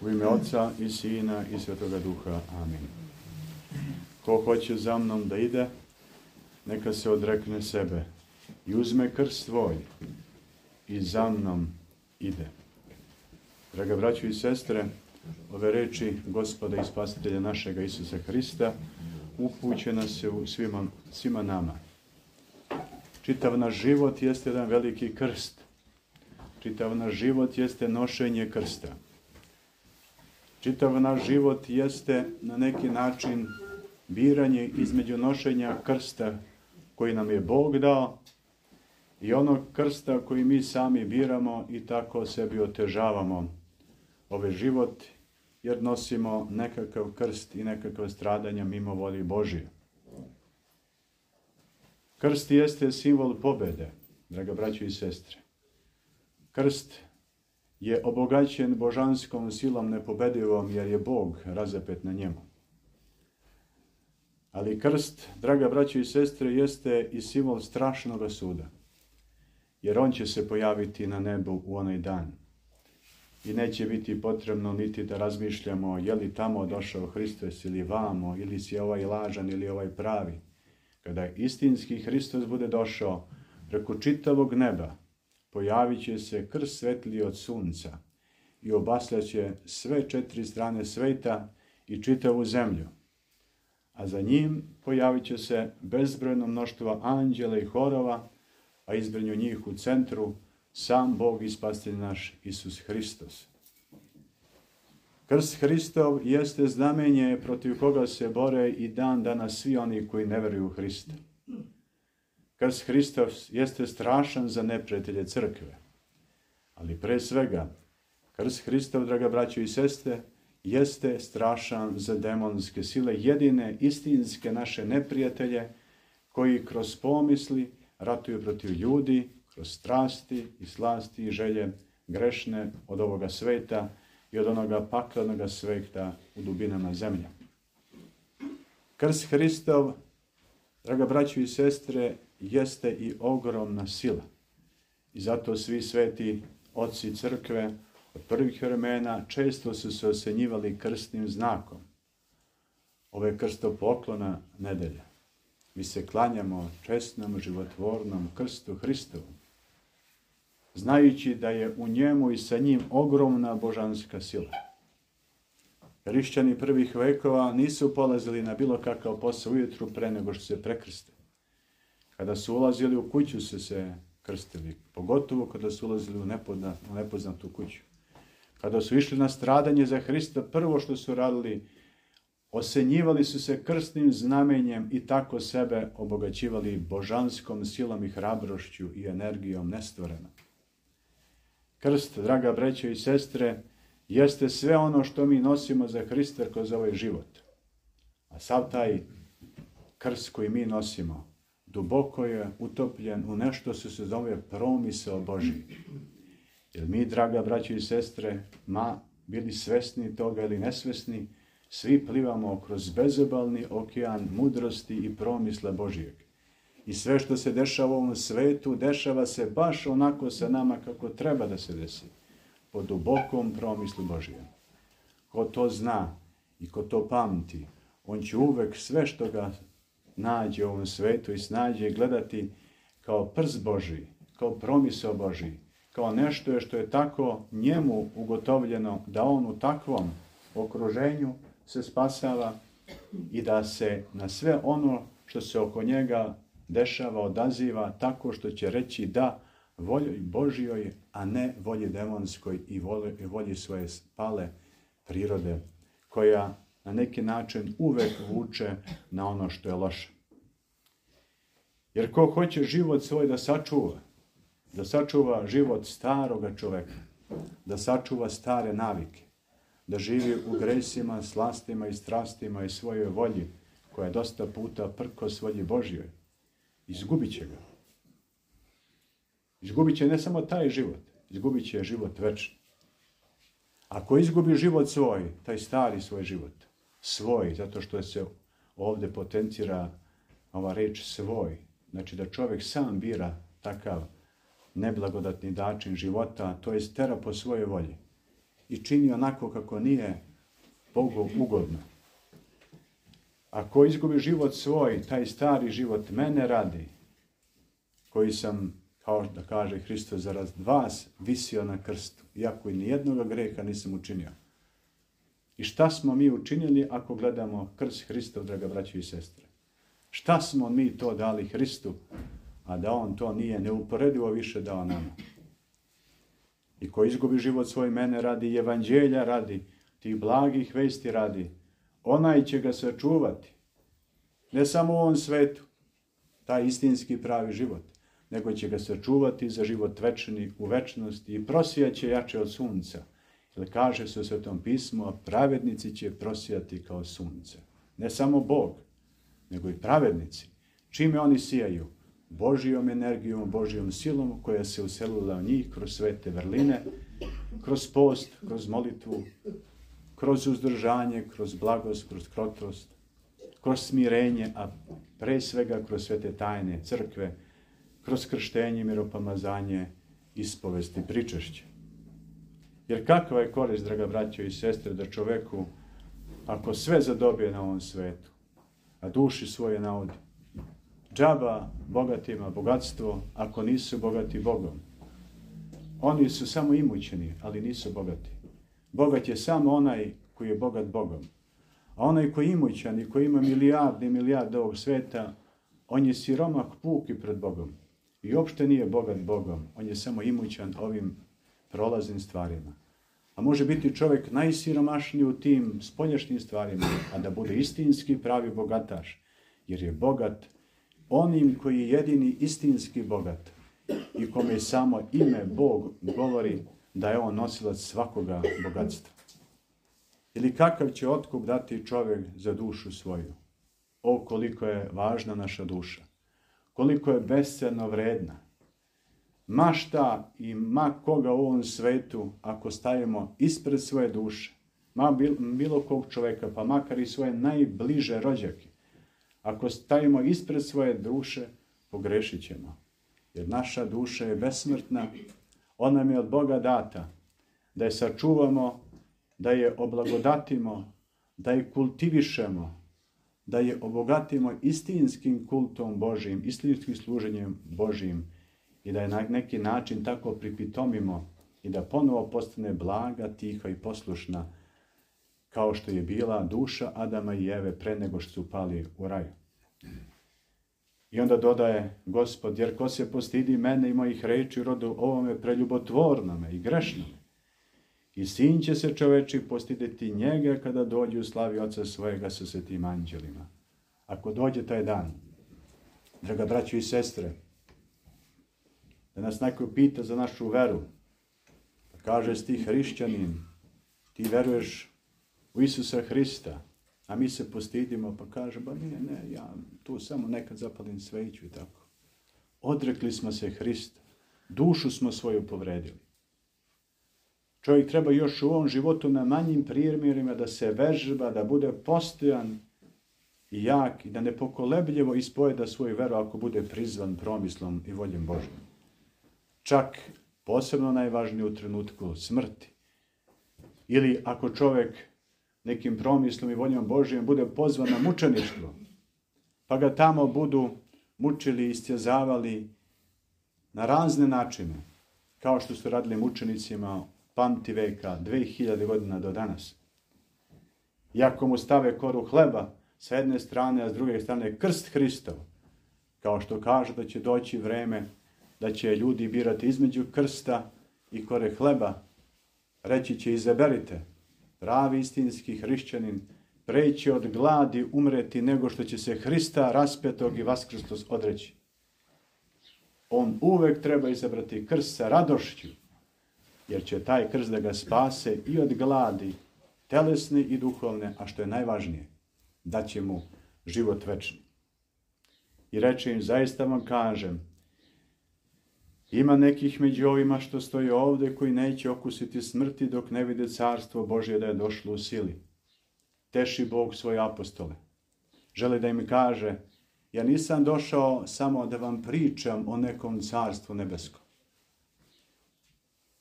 U ime Otca i Sina i Svetoga Duha. Amin. Ko hoće za mnom da ide, neka se odrekne sebe i uzme krst svoj i za mnom ide. Draga braćo i sestre, ove reči Gospoda i Spasitelja našega Isusa Hrista upućena se u svima nama. Čitav naš život jeste jedan veliki krst. Čitav naš život jeste nošenje krsta. Čitav naš život jeste na neki način biranje između nošenja krsta koji nam je Bog dao i onog krsta koji mi sami biramo i tako sebi otežavamo ovaj život jer nosimo nekakav krst i nekakva stradanja mimo volje Božije. Krst jeste simbol pobede, draga braćo i sestre. Krst je obogaćen božanskom silom nepobedivom jer je Bog razapet na njemu. Ali krst, draga braćo i sestre, jeste i simbol strašnog suda. Jer on će se pojaviti na nebu u onaj dan. I neće biti potrebno niti da razmišljamo je li tamo došao Hristos ili vamo, ili si ovaj lažan ili ovaj pravi. Kada istinski Hristos bude došao preko čitavog neba, pojavit će se krst svetliji od sunca i obasljaće sve 4 strane sveta i čitavu zemlju. A za njim pojavit će se bezbrojno mnoštvo anđela i horova, a između njih u centru sam Bog i Spasitelj naš Isus Hristos. Krst Hristov jeste znamenje protiv koga se bore i dan danas svi oni koji ne veruju u Hrista. Krst Hristov jeste strašan za neprijatelje crkve. Ali pre svega, krst Hristov, draga braćo i sestre, jeste strašan za demonske sile, jedine istinske naše neprijatelje koji kroz pomisli ratuju protiv ljudi, kroz strasti i slasti i želje grešne od ovoga sveta i od onoga paklenoga sveta u dubinama zemlje. Krst Hristov, draga braćo i sestre, jeste i ogromna sila. I zato svi sveti oci crkve od prvih vremena često su se osenjivali krstnim znakom. Ovo je krstopoklona nedelja. Mi se klanjamo česnom, životvornom krstu Hristovom, znajući da je u njemu i sa njim ogromna božanska sila. Hrišćani prvih vekova nisu polazili na bilo kakav posao ujutru pre nego što se prekrste. Kada su ulazili u kuću su se krstili, pogotovo kada su ulazili u nepoznatu kuću. Kada su išli na stradanje za Hrista, prvo što su radili, osenjivali su se krstnim znamenjem i tako sebe obogaćivali božanskom silom i hrabrošću i energijom nestvorenom. Krst, draga braćo i sestre, jeste sve ono što mi nosimo za Hrista kroz ovaj život. A sav taj krst koji mi nosimo duboko je utopljen u nešto što se zove promisao Božji. Jer mi, draga braćo i sestre, bili svesni toga ili nesvesni, svi plivamo kroz bezobalni okean mudrosti i promisla Božijeg. I sve što se dešava u ovom svetu, dešava se baš onako sa nama kako treba da se desi. Po dubokom promislu Božijem. Ko to zna i ko to pamti, on će uvek sve što ga nađe u ovom svetu i snađe gledati kao prst Božji, kao promisao Božji, kao nešto što je tako njemu ugotovljeno da on u takvom okruženju se spasava i da se na sve ono što se oko njega dešava odaziva tako što će reći da volji Božjoj, a ne volji demonskoj i volji svoje spale prirode, koja na neki način uvek vuče na ono što je loše. Jer ko hoće život svoj da sačuva život staroga čoveka, da sačuva stare navike, da živi u gresima, slastima i strastima i svojoj volji, koja je dosta puta prkos volji Božjoj, izgubit će ga. Izgubit će ne samo taj život, izgubit će život večni. Ako izgubi život svoj, taj stari svoj život, svoj, zato što se ovdje potencira ova reč svoj, znači da čovjek sam bira takav neblagodatni način života, to je tera po svojoj volji. i čini onako kako nije Bogu ugodno. Ako izgubi život svoj, taj stari život mene radi, koji sam, kao da kaže Hristos, zarad vas visio na krstu, iako i nijednog greha nisam učinio. I šta smo mi učinili ako gledamo krst Hristov, draga braćo i sestre? Šta smo mi to dali Hristu, a da on to nije neuporedivo više dao nama? I ko izgubi život svoj mene radi, evanđelja radi, tih blagih vesti radi, onaj će ga sačuvati. Ne samo u ovom svetu, taj istinski pravi život, nego će ga sačuvati za život večni u večnosti i prosijaće jače od sunca. Jer kaže se u Svetom pismu, a pravednici će prosijati kao sunce. Ne samo Bog, nego i pravednici. Čime oni sijaju? Božijom energijom, Božijom silom koja se uselila u njih kroz svete vrline, kroz post, kroz molitvu, kroz uzdržanje, kroz blagost, kroz krotost, kroz smirenje, a pre svega kroz svete tajne crkve, kroz krštenje, miropomazanje, ispovesti, pričešće. Jer kakva je korist, draga braćo i sestre, da čoveku, ako sve zadobije na ovom svetu, a duši svoje naudi, džaba bogatima bogatstvo, ako nisu bogati Bogom. Oni su samo imućni, ali nisu bogati. Bogat je samo onaj koji je bogat Bogom. A onaj koji je imućan i koji ima milijarde i milijarde ovog sveta, on je siromah puki pred Bogom. I uopšte nije bogat Bogom, on je samo imućan ovim prolaznim stvarima. A može biti čovjek najsiromašniji u tim spoljašnjim stvarima, a da bude istinski pravi bogataš, jer je bogat onim koji je jedini istinski bogat i kome samo ime Bog govori da je on nosilac svakoga bogatstva. Ili kakav će otkup dati čovjek za dušu svoju? O, koliko je važna naša duša, koliko je besceno vredna. Ma šta i ma koga u ovom svetu, ako stavimo ispred svoje duše, ma bilo kog čovjeka, pa makar i svoje najbliže rođake, ako stavimo ispred svoje duše, pogrešit ćemo. Jer naša duša je besmrtna, ona nam je od Boga data, da je sačuvamo, da je oblagodatimo, da je kultivišemo, da je obogatimo istinskim kultom Božijim, istinskim služenjem Božijim i da je na neki način tako pripitomimo i da ponovo postane blaga, tiha i poslušna, kao što je bila duša Adama i Eve pre nego što su pali u raju. I onda dodaje Gospod, jer ko se postidi mene i mojih reči rodu ovome preljubotvornome i grešnome, i sin će se čoveči postideti njega kada dođe u slavi Oca svojega sa svetim anđelima. Ako dođe taj dan, draga braćo i sestre, da nas neko pita za našu veru, pa kaže ti hrišćanin, ti veruješ u Isusa Hrista, a mi se postidimo, pa kaže, ba ne, ja tu samo nekad zapalim sveću i tako. Odrekli smo se Hrista, dušu smo svoju povredili. Čovjek treba još u ovom životu na manjim primjerima da se vežba, da bude postojan i jak i da nepokolebljivo ispoveda svoju veru ako bude prizvan promislom i voljem Božjom. Čak posebno najvažnije u trenutku smrti. Ili ako čovjek nekim promislom i voljom Božjom bude pozvan na mučeništvo, pa ga tamo budu mučili i istjezavali na razne načine, kao što su radili mučenicima pamti veka, 2000 godina do danas. I ako mu stave koru hleba sa jedne strane, a s druge strane krst Hristov, kao što kaže da će doći vreme da će ljudi birati između krsta i kore hleba, reći će izaberite, pravi istinski hrišćanin preći od gladi umreti nego što će se Hrista raspetog i vaskrstog odreći. On uvek treba izabrati krst sa radošću, jer će taj krst da ga spase i od gladi, telesne i duhovne, a što je najvažnije, da će mu život večni. I reče im, zaista vam kažem, ima nekih među ovima što stoje ovdje koji neće okusiti smrti dok ne vide carstvo Božje da je došlo u sili. Teši Bog svoje apostole. Želi da im kaže, ja nisam došao samo da vam pričam o nekom carstvu nebeskom.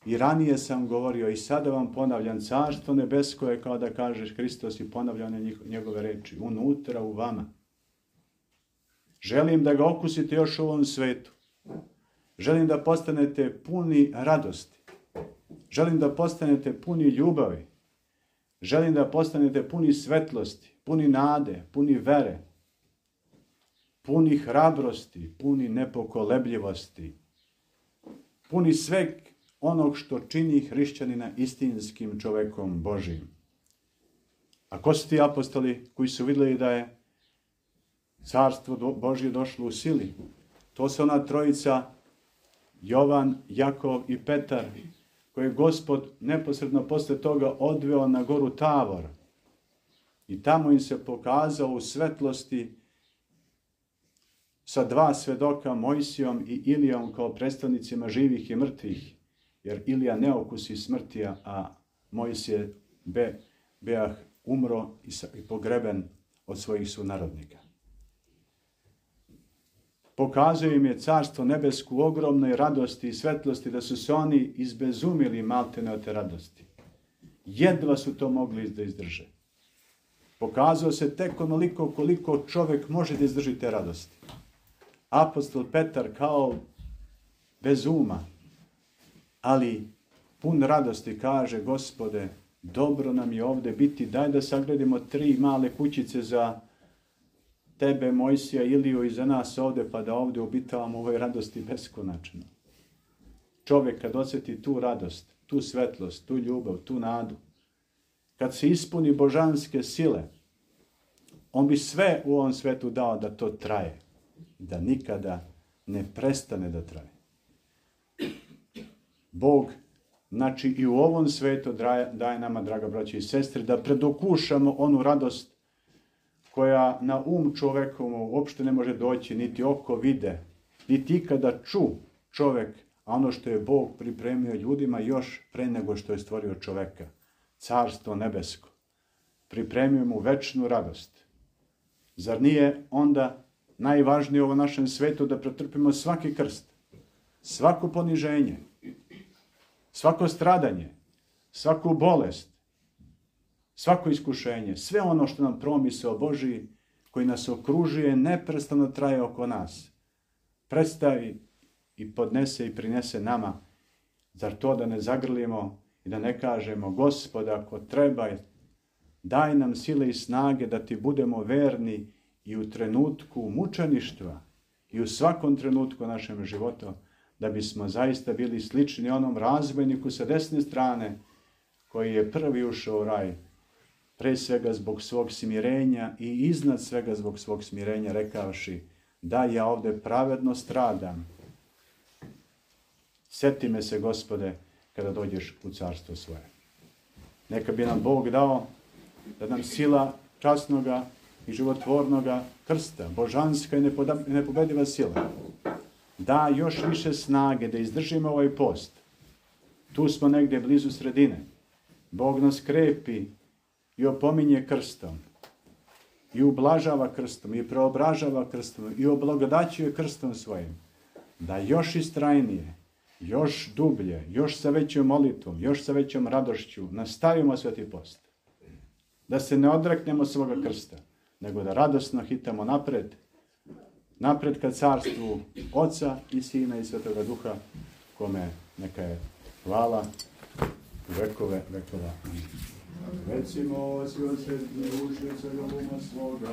I ranije sam govorio i sada vam ponavljam, carstvo nebesko je kao da kažeš Hristos i ponavljanje njegove reči, unutra u vama. Želim da ga okusite još u ovom svetu. Želim da postanete puni radosti. Želim da postanete puni ljubavi. Želim da postanete puni svetlosti, puni nade, puni vere, puni hrabrosti, puni nepokolebljivosti, puni sveg onog što čini hrišćanina istinskim čovekom Božijim. A ko su ti apostoli koji su vidjeli da je carstvo Božje došlo u sili? To su ona trojica Jovan, Jakov i Petar, koje je Gospod neposredno posle toga odveo na goru Tavor. I tamo im se pokazao u svetlosti sa dva svedoka, Mojsijom i Ilijom, kao predstavnicima živih i mrtvih. Jer Ilija ne okusi smrti, a Mojsije beah umro i pogreben od svojih sunarodnika. Pokazuje im je carstvo nebesku u ogromnoj radosti i svetlosti, da su se oni izbezumili maltene od te radosti. Jedva su to mogli da izdrže. Pokazao se tek onoliko koliko čovjek može da izdrži te radosti. Apostol Petar kao bez uma, ali pun radosti kaže, Gospode, dobro nam je ovdje biti, daj da sagradimo 3 male kućice za tebe, Mojsija, Iliju i za nas ovdje, pa da ovdje obitavamo u ovoj radosti beskonačno. Čovjek kad osjeti tu radost, tu svetlost, tu ljubav, tu nadu, kad se ispuni božanske sile, on bi sve u ovom svetu dao da to traje, da nikada ne prestane da traje. Bog, znači i u ovom svetu daje nama, draga braće i sestre, da predokušamo onu radost koja na čovekovu uopšte ne može doći, niti oko vide, niti ikada ču čovek, a ono što je Bog pripremio ljudima još pre nego što je stvorio čoveka, carstvo nebesko, pripremio mu večnu radost. Zar nije onda najvažnije u ovom našem svetu da pretrpimo svaki krst, svako poniženje, svako stradanje, svaku bolest, svako iskušenje, sve ono što nam promisao Božiji, koji nas okružuje, neprestano traje oko nas, predstavi i podnese i prinese nama. Zar to da ne zagrlimo i da ne kažemo, Gospode, ako treba, daj nam sile i snage da ti budemo verni i u trenutku mučeništva i u svakom trenutku našem životu, da bismo zaista bili slični onom razbojniku sa desne strane koji je prvi ušao u raj, pre svega zbog svog smirenja i iznad svega zbog svog smirenja rekavši, da ja ovdje pravedno stradam. Sjeti me se, Gospode, kada dođeš u carstvo svoje. Neka bi nam Bog dao da nam sila časnoga i životvornoga krsta, božanska i nepobediva sila, da još više snage da izdržimo ovaj post. Tu smo negdje blizu sredine. Bog nas krepi i opominje krstom, i ublažava krstom, i preobražava krstom, i oblagodaćuje krstom svojim, da još istrajnije, još dublje, još sa većom molitvom, još sa većom radošću nastavimo sveti post. Da se ne odreknemo svoga krsta, nego da radosno hitamo napred ka carstvu Oca i Sina i Svetoga Duha, kome neka je hvala u vekove vekova. Recimo, svi od srednje uši od svega uma svoga,